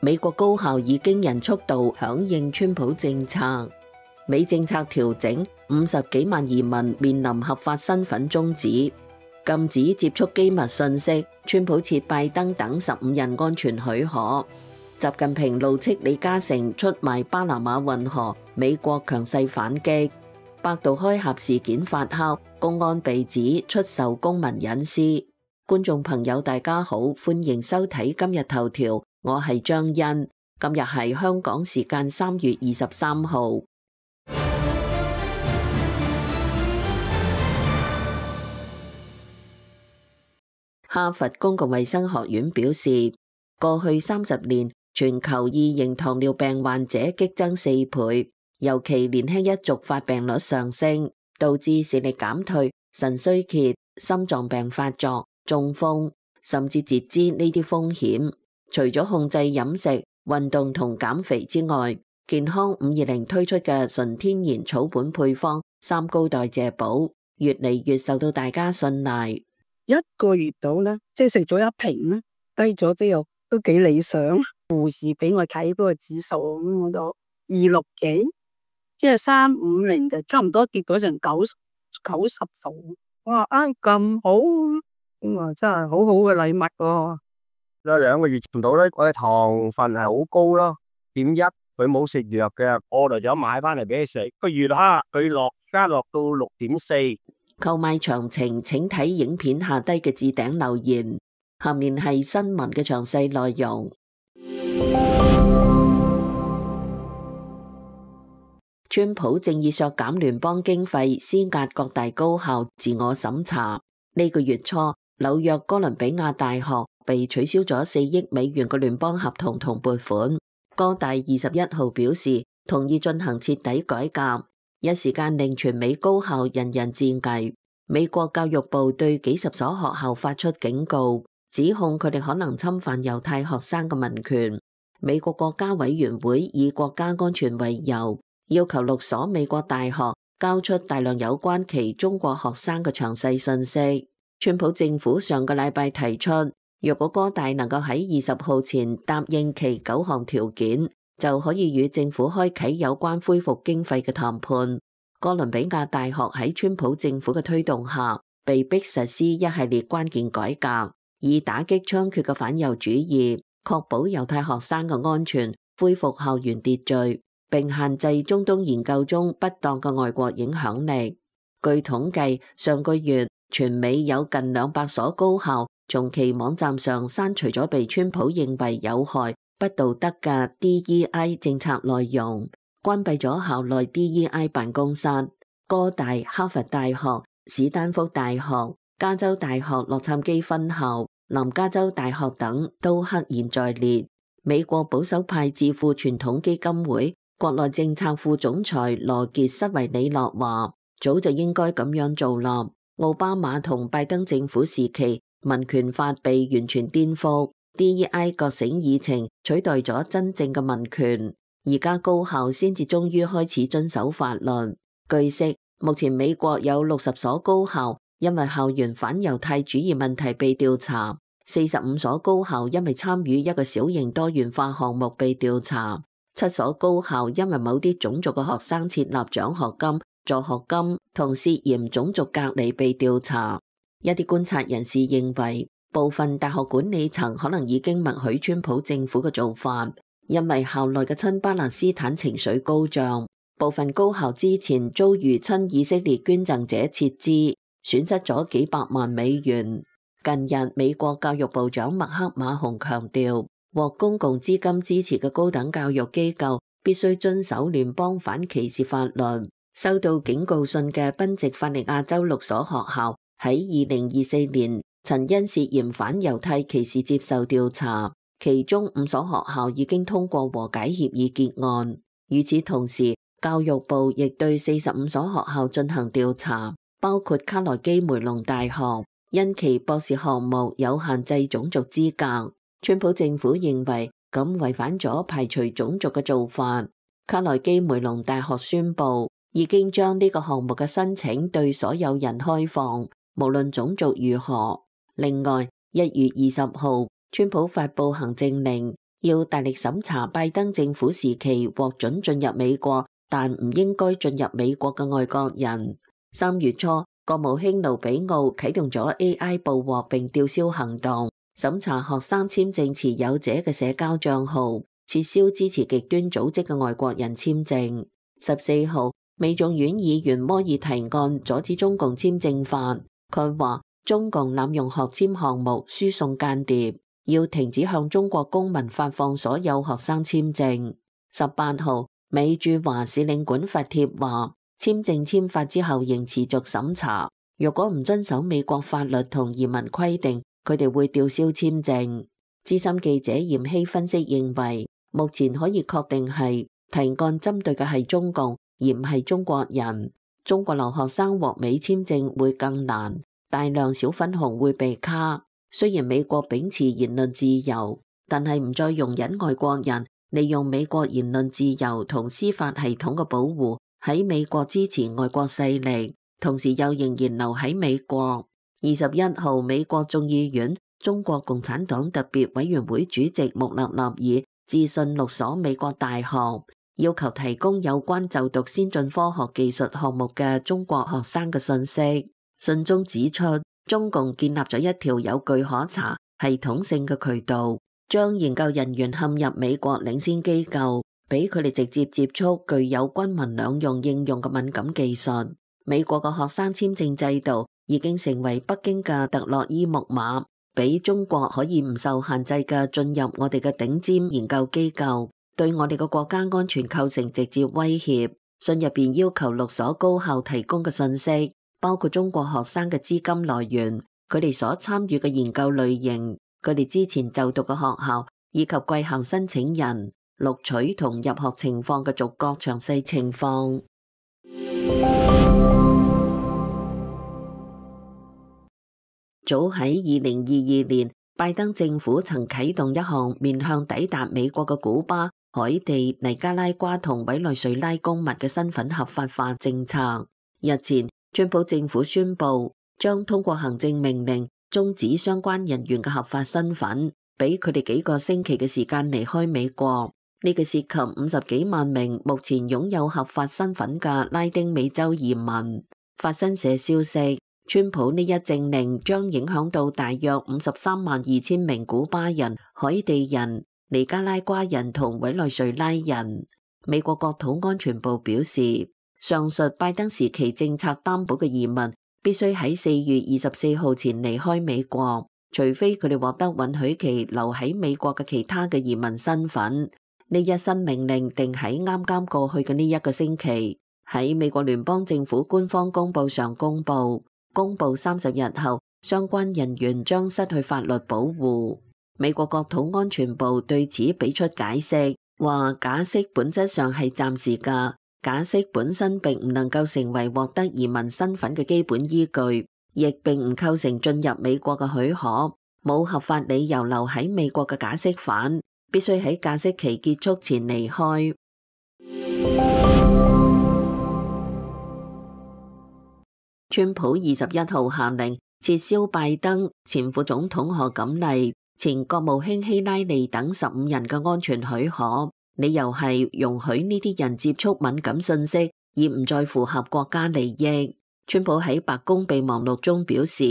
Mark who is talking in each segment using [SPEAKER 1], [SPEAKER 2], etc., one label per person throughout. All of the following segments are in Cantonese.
[SPEAKER 1] 美國高校以驚人速度響應川普政策，美政策調整，50幾萬移民面臨合法身份終止，禁止接觸機密信息，川普撤拜登等15人安全許可。習近平怒斥李嘉誠出賣巴拿馬運河，美國強勢反擊。百度開盒事件發酵，公安被指出售公民隱私。觀眾朋友大家好，歡迎收睇今日頭條，我係張欣。今日係香港時間3月23號。哈佛公共衛生學院表示，過去30年，全球2型糖尿病患者激增4倍，尤其年輕一族發病率上升，導致視力減退、腎衰竭、心臟病發作、中風，甚至截肢呢啲風險。除咗控制飲食、運動同減肥之外，健康520推出嘅純天然草本配方3高代謝寶，越嚟越受到大家信賴。
[SPEAKER 2] 1個月到啦，即係食咗1瓶啦，低咗都幾理想。護士俾我睇嗰個指數，我就260幾，即係350就差唔多跌咗成90度。哇！咁好，哇！真係好好嘅禮物喎。
[SPEAKER 3] 2個月唔到咧，我嘅糖分係好高咯，0.1，佢冇食藥嘅，我就有買翻嚟俾佢食。個月哈，佢加落到6.4。
[SPEAKER 1] 購買詳情請睇影片下低嘅置頂留言。下面係新聞嘅詳細內容。川普正以削減聯邦經費施壓各大高校自我審查。呢個月初，紐約哥倫比亞大學被取消咗4億美元嘅聯邦合同同撥款。哥大21號表示同意進行徹底改革，一時間令全美高校人人自危。美國教育部對幾十所學校發出警告，指控佢哋可能侵犯猶太學生嘅民權。美國國家委員會以國家安全為由，要求6所美國大學交出大量有關其中國學生嘅詳細信息。川普政府上個禮拜提出，若果哥大能夠喺20號前答應其9項條件，就可以與政府開啟有關恢復經費嘅談判。哥倫比亞大學喺川普政府嘅推動下，被迫實施一系列關鍵改革，以打擊猖獗嘅反猶主義，確保猶太學生嘅安全，恢復校園秩序，並限制中東研究中不當嘅外國影響力。據統計，上個月全美有近200所高校從其網站上刪除咗被川普認為有害、不道德嘅 DEI 政策內容，關閉咗校內 DEI 辦公室。哥大、哈佛大學、史丹福大學、加州大學洛杉磯分校、南加州大學等都赫然在列。美國保守派智庫傳統基金會國內政策副總裁羅傑斯維里諾話，早就應該咁樣做啦。奧巴馬同拜登政府時期，民權法被完全顛覆， DEI 覺醒議程取代咗真正嘅民權。而家高校先至終於開始遵守法律。據悉，目前美國有60所高校因為校園反猶太主義問題被調查，45所高校因為參與一個小型多元化項目被調查，7所高校因為某啲種族嘅學生設立獎學金、助學金同涉嫌種族隔離被調查。一啲觀察人士認為，部分大學管理層可能已經默許川普政府嘅做法，因為校內嘅親巴勒斯坦情緒高漲，部分高校之前遭遇親以色列捐贈者撤資，損失咗幾百萬美元。近日，美國教育部長麥克馬洪強調，獲公共資金支持嘅高等教育機構必須遵守聯邦反歧視法律。收到警告信嘅賓夕法尼亞州6所學校喺2024年曾因涉嫌反猶太歧視接受調查。其中5所學校已經通過和解協議結案。與此同時，教育部亦對45所學校進行調查，包括卡內基梅隆大學，因其博士項目有限制種族資格。川普政府認為咁違反咗排除種族嘅做法。卡內基梅隆大學宣布已經將呢個項目嘅申請對所有人開放，無論種族如何。另外，1月20號，川普發布行政令，要大力審查拜登政府時期獲准進入美國，但唔應該進入美國嘅外國人。3月初，國務卿盧比奧啟動咗 AI 捕獲並吊銷行動，審查學生簽證持有者嘅社交賬號，撤銷支持極端組織嘅外國人簽證。14號，美眾院議員摩爾提案阻止中共簽證法，佢話中共濫用學簽項目輸送間諜，要停止向中國公民發放所有學生簽證。18號，美駐華使領館發帖話，簽證簽發之後仍持續審查，若果唔遵守美國法律同移民規定，佢哋會吊銷簽證。資深記者嚴希分析認為，目前可以確定係提案針對嘅係中共，而唔係中國人。中國留學生獲美簽證會更難，大量小粉紅會被卡。雖然美國秉持言論自由，但係唔再容忍外國人利用美國言論自由同司法系統嘅保護喺美國支持外國勢力，同時又仍然留喺美國。21號，美國眾議院中國共產黨特別委員會主席穆勒納爾致信6所美國大學，要求提供有關就讀先進科學技術項目嘅中國學生嘅信息。信中指出，中共建立咗一條有據可查、系統性嘅渠道，將研究人員陷入美國領先機構，俾佢哋直接接觸具有軍民兩用應用嘅敏感技術。美國嘅學生簽證制度已經成為北京嘅特洛伊木馬，俾中國可以唔受限制嘅進入我哋嘅頂尖研究機構，對我哋嘅國家安全構成直接威脅。信入邊要求6所高校提供嘅信息，包括中國學生嘅資金來源、佢哋所參與嘅研究類型、佢哋之前就讀嘅學校以及貴校申請人、錄取同入學情況嘅逐個詳細情況。早喺2022年，拜登政府曾啟動一項面向抵達美國嘅古巴、海地、尼加拉瓜同委內瑞拉公民嘅身份合法化政策。日前，川普政府宣布將通過行政命令終止相關人員嘅合法身份，俾佢哋幾個星期嘅時間離開美國。呢個涉及50幾萬名目前擁有合法身份嘅拉丁美洲移民。法新社消息，川普呢一政令將影響到大約532000名古巴人、海地人、尼加拉瓜人同委內瑞拉人。美國國土安全部表示，上述拜登時期政策擔保嘅移民必須喺4月24號前離開美國，除非佢哋獲得允許其留喺美國嘅其他嘅移民身份。呢一新命令定喺啱啱過去嘅呢一個星期，喺美國聯邦政府官方公報上公布30日後，相關人員將失去法律保護。美國國土安全部對此俾出解釋，話假釋本質上係暫時㗎，假釋本身並唔能夠成為獲得移民身份嘅基本依據，亦並唔構成進入美國嘅許可。冇合法理由留喺美國嘅假釋犯必須喺假釋期結束前離開。川普21號下令撤銷拜登、前副總統賀錦麗、前國務卿希拉里等15人嘅安全許可，理由係容許呢啲人接觸敏感信息，而唔再符合國家利益。川普喺白宮備忘錄中表示，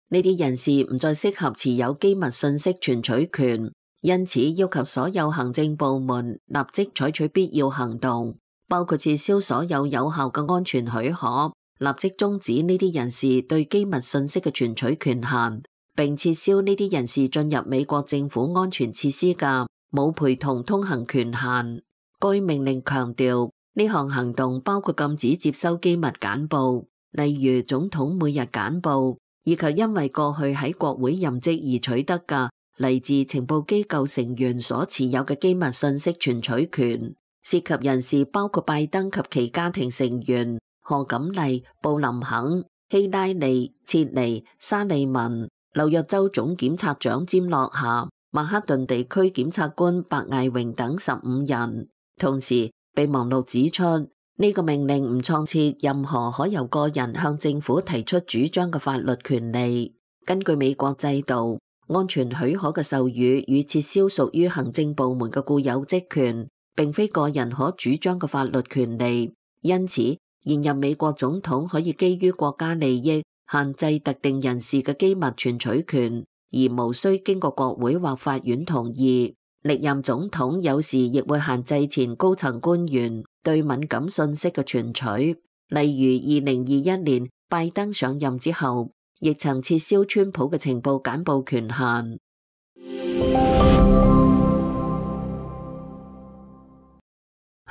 [SPEAKER 1] 呢啲人士唔再適合持有機密信息存取權。因此，要求所有行政部門立即採取必要行動，包括撤銷所有有效嘅安全許可，立即終止呢啲人士對機密信息嘅存取權限，並撤銷呢啲人士進入美國政府安全設施嘅冇陪同通行權限。該命令強調，呢項行動包括禁止接收機密簡報，例如總統每日簡報，以及因為過去喺國會任職而取得嘅嚟自情報機構成員所持有嘅機密信息存取權。涉及人士包括拜登及其家庭成員、賀錦麗、布林肯、希拉里、切尼、沙利文、紐約州總檢察長詹洛夏、曼克頓地區檢察官白艾榮等15人。同時，備忘錄指出，呢個命令唔創設任何可由個人向政府提出主張嘅法律權利。根據美國制度，安全許可嘅授予與撤銷屬於行政部門嘅固有職權，並非個人可主張嘅法律權利。因此，現任美國總統可以基於國家利益限制特定人士嘅機密存取權，而無需經過國會或法院同意。歷任總統有時亦會限制前高層官員對敏感信息嘅存取，例如2021年拜登上任之後，亦曾撤銷川普嘅情報簡報權限。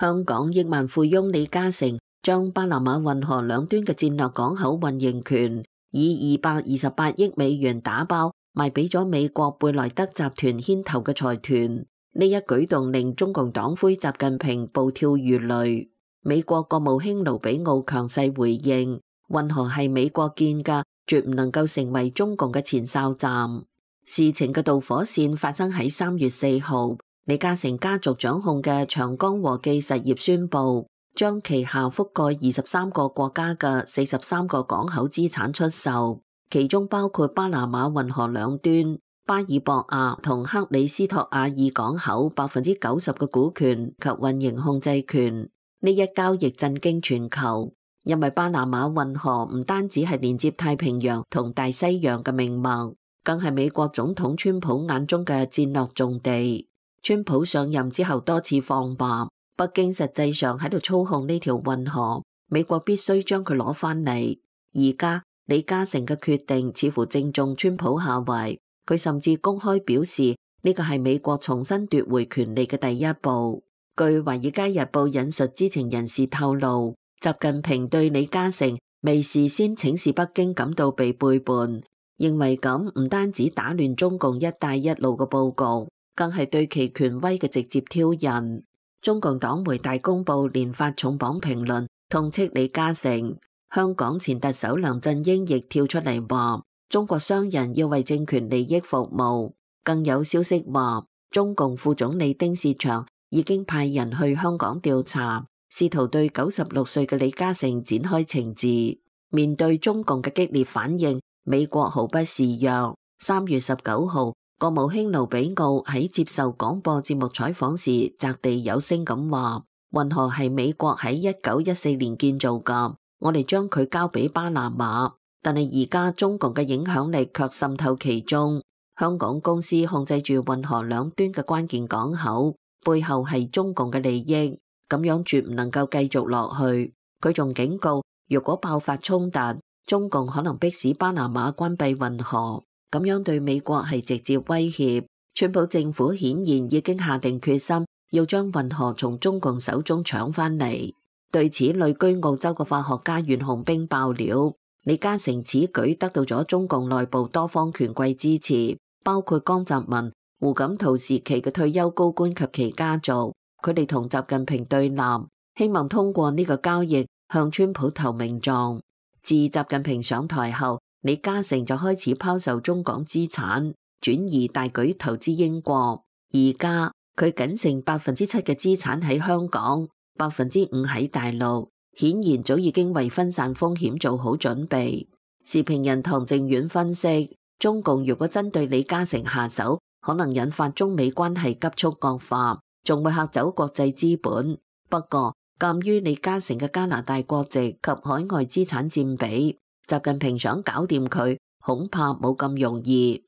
[SPEAKER 1] 香港億萬富翁李嘉誠將巴拿馬運河兩端嘅戰略港口運營權以228億美元打包賣俾咗美國貝萊德集團牽頭嘅財團。呢一舉動令中共黨魁習近平暴跳如雷。美國國務卿盧比奧強勢回應，運河係美國建嘅，絕唔能夠成為中共嘅前哨站。事情嘅導火線發生喺3月4號，李嘉誠家族掌控嘅長江和記實業宣布，將旗下覆蓋23個國家嘅43個港口資產出售，其中包括巴拿馬運河兩端、巴爾博亞同克里斯托亞爾港口90%嘅股權及運營控制權。呢一交易震驚全球，因為巴拿馬運河唔單止係連接太平洋同大西洋嘅命脈，更係美國總統川普眼中嘅戰略重地。川普上任之後多次放話，北京實際上喺度操控呢條運河，美國必須將佢攞返嚟。而家李嘉誠嘅決定似乎正中川普下懷，佢甚至公開表示呢個係美國重新奪回權力嘅第一步。據《華爾街日報》引述知情人士透露，習近平對李嘉誠未事先請示北京感到被背叛，認為咁唔單止打亂中共一帶一路嘅佈局，更係對其權威嘅直接挑釁。中共黨媒大公報連發重磅評論，痛斥李嘉誠。香港前特首梁振英亦跳出嚟話，中國商人要為政權利益服務。更有消息話，中共副總理丁薛祥已經派人去香港調查，試圖對96歲嘅李嘉誠展開懲治。面對中共嘅激烈反應，美國毫不示弱。3月19號，國務卿盧比奧喺接受廣播節目採訪時，擲地有聲咁話：運河係美國喺1914年建造㗎，我哋將佢交俾巴拿馬。但係而家中共嘅影響力卻滲透其中，香港公司控制住運河兩端嘅關鍵港口，背後係中共嘅利益，咁樣絕唔能夠繼續落去。佢仲警告，如果爆發衝突，中共可能迫使巴拿馬關閉運河，咁樣對美國係直接威脅。川普政府顯然已經下定決心，要將運河從中共手中搶返嚟。對此，旅居澳洲嘅法學家袁紅冰爆料，李嘉誠此舉得到咗中共內部多方權貴支持，包括江澤民、胡錦濤時期嘅退休高官及其家族，佢哋同習近平對立，希望通過呢個交易向川普投名狀。自習近平上台後，李嘉誠就開始拋售中港資產，轉移大舉投資英國。而家佢僅剩7%嘅資產喺香港，5%喺大陸，顯然早已經為分散風險做好準備。時評人唐靖遠分析，中共如果針對李嘉誠下手，可能引發中美關係急速惡化，仲會嚇走國際資本。不過，鑑於李嘉誠嘅加拿大國籍及海外資產佔比，習近平想搞掂佢，恐怕冇咁容易。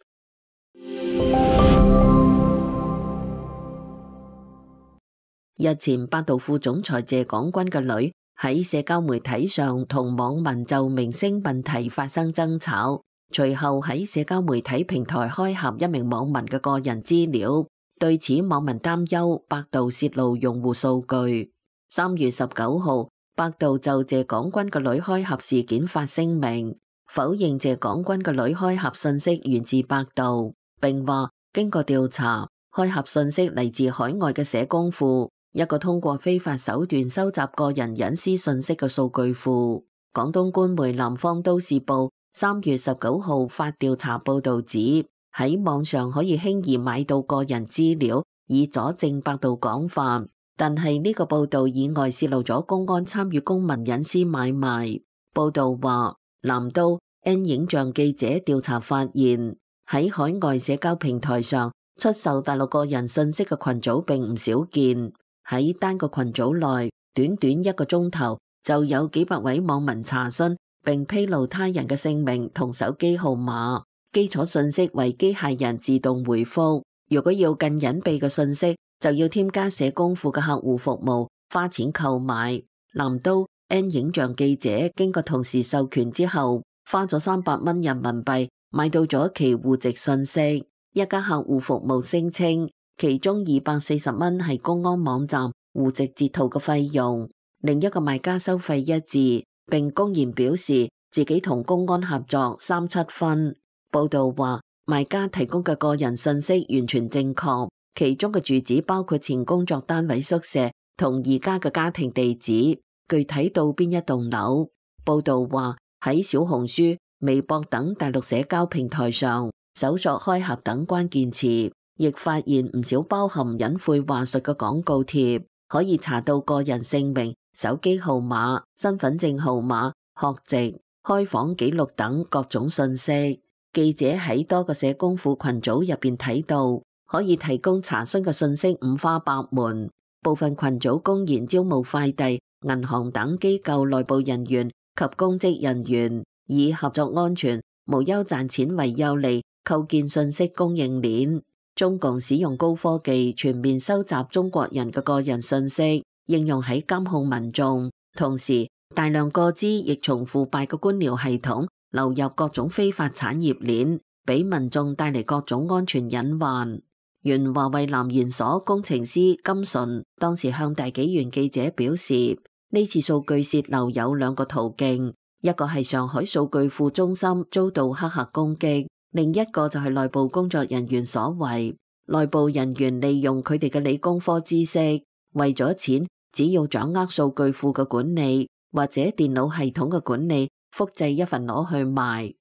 [SPEAKER 1] 日前，百度副總裁謝廣軍嘅女喺社交媒體上同網民就明星問題發生爭吵，隨後喺社交媒體平台開闢一名網民嘅個人資料。對此，網民擔憂百度泄露用戶數據。3月19號，百度就謝廣軍嘅女開闢事件發聲明，否認謝廣軍嘅女開闢信息源自百度，並話經過調查，開闢信息嚟自海外嘅社工庫，一個通過非法手段收集個人隱私信息嘅數據庫。廣東官媒南方都市報3月19號發調查報導指，喺網上可以輕易買到個人資料，以佐證百度講法。但係呢個報導以外泄露咗公安參與公民隱私買賣。報導話，南都 N 影像記者調查發現，喺海外社交平台上出售大陸個人信息嘅群組並唔少見。喺單個群組內，短短1個鐘頭就有幾百位網民查詢並披露他人嘅姓名同手機號碼，基礎信息為機械人自動回覆。如果要更隱蔽嘅信息，就要添加社工庫嘅客戶服務，花錢購買。南都 N 影像記者經過同事授權之後，花咗300蚊人民幣買到咗其戶籍信息。一家客戶服務聲稱，其中240蚊係公安網站戶籍截圖嘅費用，另一個賣家收費一致，並公然表示自己同公安合作37分。報道話，賣家提供嘅個人信息完全正確，其中嘅住址包括前工作單位宿舍同而家嘅家庭地址，具體到邊一棟樓。報道話，喺小紅書、微博等大陸社交平台上搜索開合等關鍵詞，亦發現唔少包含隱晦話術嘅廣告貼，可以查到個人姓名、手機號碼、身份證號碼、學籍、開房記錄等各種信息。記者喺多個社工庫群組入邊睇到，可以提供查詢嘅信息五花八門，部分群組公然招募快遞、銀行等機構內部人員及公職人員，以合作安全、無憂賺錢為優利，構建信息供應鏈。中共使用高科技全面收集中國人嘅個人信息，應用喺監控民眾，同時大量個資亦從腐敗嘅官僚系統流入各種非法產業鏈，俾民眾帶嚟各種安全隱患。原華為南研所工程師金純當時向大紀元記者表示，呢次數據洩漏有2個途徑，一個係上海數據庫中心遭到黑客攻擊，另一個就係內部工作人員所為。內部人員利用佢哋嘅理工科知識，為咗錢，只要掌握數據庫嘅管理或者電腦系統嘅管理，複製一份攞去賣。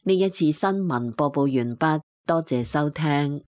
[SPEAKER 1] 呢一次新聞播報完畢，多謝收聽。